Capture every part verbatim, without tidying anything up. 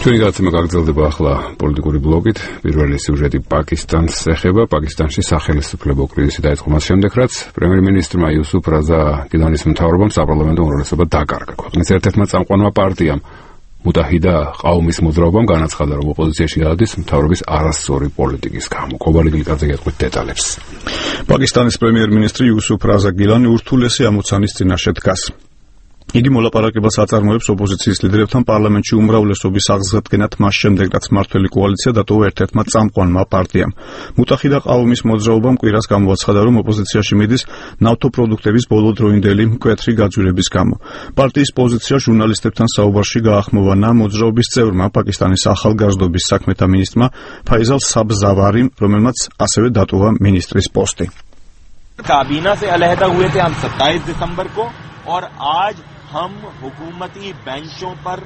ჩვენი გადაცემა გაგრძელდება ახლა პოლიტიკური ბლოკით. პირველი სიუჟეტი პაკისტანს ეხება. პაკისტანში სახელმწიფო კრიზისი დაიწყო მას შემდეგ, რაც პრემიერ-მინისტრმა იუსუფ რაზა გილანის მთავრობამ საპარლამენტო უმრავლესობა დაკარგა. ქვეყნის ერთ-ერთმა წამყვანმა პარტიამ მუტაჰიდა ყაუმის მოძრაობამ განაცხადა, რომ ოპოზიციაში გადადის მთავრობის არასწორი პოლიტიკის გამო. კობალი გლიკაძე გეტყვით დეტალებს. პაკისტანის პრემიერ-მინისტრი იუსუფ რაზა გილანი ურთულესი ამოცანის წინაშე დგას. იგი მოლაპარაკებას აწარმოებს ოპოზიციის ლიდერებთან პარლამენტში უმრავლესობის აღსადგენად მას შემდეგ, რაც მმართველი კოალიცია დატოვა ერთ-ერთმა წამყვანმა პარტიამ. მუტაჰიდა ყაუმის მოძრაობამ კვირას გამოაცხადა, რომ ოპოზიციაში მიდის ნავთობპროდუქტების ბოლოდროინდელი მკვეთრი გაძვირების გამო. პარტიის პოზიცია ჟურნალისტებთან საუბარში გაახმოვანა მოძრაობის წევრმა, პაკისტანის ახალგაზრდობის საქმეთა მინისტრმა ფაიზალ საბზავარიმ, რომელმაც ასევე დატოვა მინისტრის პოსტი. काबीना से अलहदा हुए थे हम सत्ताईस दिसंबर को और आज हम हुकूमती बेंचों पर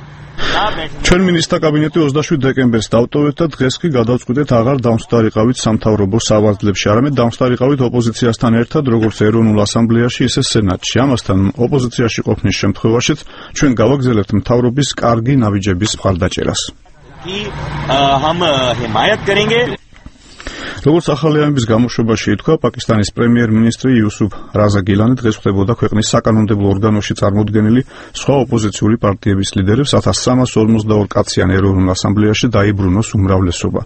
ჩვენ მინისტრთა კაბინეტი ოცდაშვიდ დეკემბერს დავტოვეთ და დღეს კი გადავწყვიტეთ აღარ დავსტარიყავით სამთავრობო სავარძლებში, არამედ დავსტარიყავით ოპოზიციასთან ერთად, როგორც ეროვნულ ასამბლეაში, ისე სენატში. ამასთან ოპოზიციაში ყოფნის შემთხვევაშიც ჩვენ გავაგრძელებთ მთავრობის კარგი ნაბიჯების მხარდაჭერას. როგორც ახალი ამბის გამოშვებაში ითქვა, პაკისტანის პრემიერ-მინისტრი იუსუფ რაზა გილანი დღეს ხვდებოდა ქვეყნის საკანონმდებლო ორგანოში წარმოდგენილი სხვა ოპოზიციური პარტიების ლიდერებს ათას სამას ორმოცდაორ კაციან ეროვნულ ასამბლეაში დაიბრუნოს უმრავლესობა.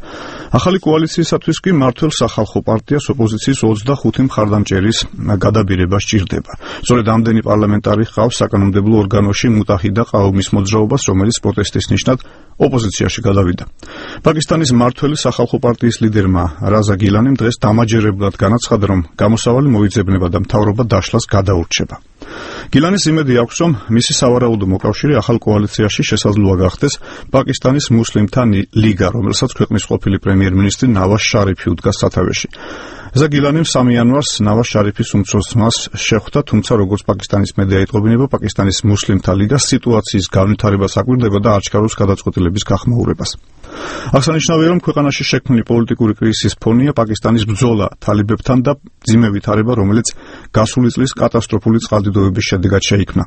ახალი კოალიციისათვის კი მმართველ სახალხო პარტიას ოპოზიციის ოცდახუთი მხარდამჭერის გადაბირება სჭირდება. სწორედ ამდენი პარლამენტარი ჰყავს საკანონმდებლო ორგანოში მუტაჰიდა ყაუმის მოძრაობას, რომელიც პროტესტის ნიშნად ოპოზიციაში გადავიდა. პაკისტანის მმართველი სახალხო პარტიის ლიდერმა რაზა გილანიმ დღეს დამაჯერებლად განაცხადა, რომ გამოსავალი მოიძებნება და მთავრობა დაშლას გადაურჩება. გილანის იმედი აქვს, რომ მისი სავარაუდო მოკავშირე ახალ კოალიციაში შესაძლოა გახდეს პაკისტანის მუსლიმთა ლიგა, რომელსაც ქვეყნის ყოფილი პრემიერ-მინისტრი ნავაზ შარიფი უდგას სათავეში. ზაგილანიმ სამი იანვარს ნავაზ შარიფის უმცროს ძმას შეხვდა, თუმცა როგორც პაკისტანის მედია იტყობინება, პაკისტანის მუსლიმთა ლიგა სიტუაციის განვითარებას აკვირდება და აჩქარებს გადაწყვეტილების გახმაურებას. აღსანიშნავია, რომ ქვეყანაში შექმნილი პოლიტიკური კრიზისის ფონია პაკისტანის ბრძოლა თალიბებთან და მძიმე ვითარება, რომელიც გასული წლის კატასტროფული წყალდიდობების შედეგად შეიქმნა.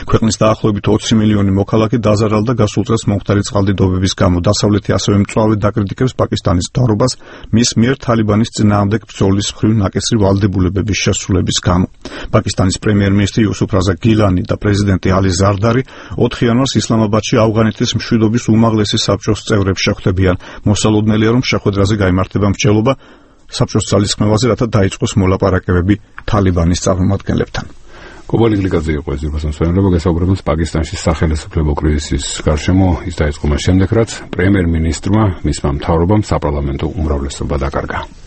ქვეყნის დაახლოებით ოცი მილიონი მოქალაქე დაზარალდა გასულ წელს მომხდარი წყალდიდობების გამო. დასავლეთი ასევე მწვავედ დაკრიტიკებს პაკისტანის მთავრობას მის მიერ თალიბანის წინააღმდეგ ბრძოლის მხრივ ნაკისრი ვალდებულებების შესრულების გამო. პაკისტანის პრემიერ-მინისტრი იუსუფ რაზა გილანი და პრეზიდენტი ალი ზარდარი ოთხ იანვარს ისლამაბადში ავღანეთის მშვიდობის უმაღლესი საბჭოს წევრებს შეხვდებიან. მოსალოდნელია, რომ შეხვედრაზე გაიმართება მსჯელობა საბჭოს ძალისხმევაზე, რათა დაიწყოს მოლაპარაკებები თალიბანის წარმომადგენლებთან. კობალი გლიკაძე იყო ეს ძირფასი მსმენელობა, გასაუბრებელს პაკისტანში სახელმწიფო კრიზისის გარშემო ის დაიწყო მას შემდეგ, რაც პრემიერ-მინისტრმა მისმა მთავრობამ საპარლამენტო უმრავლესობა დაკარგა.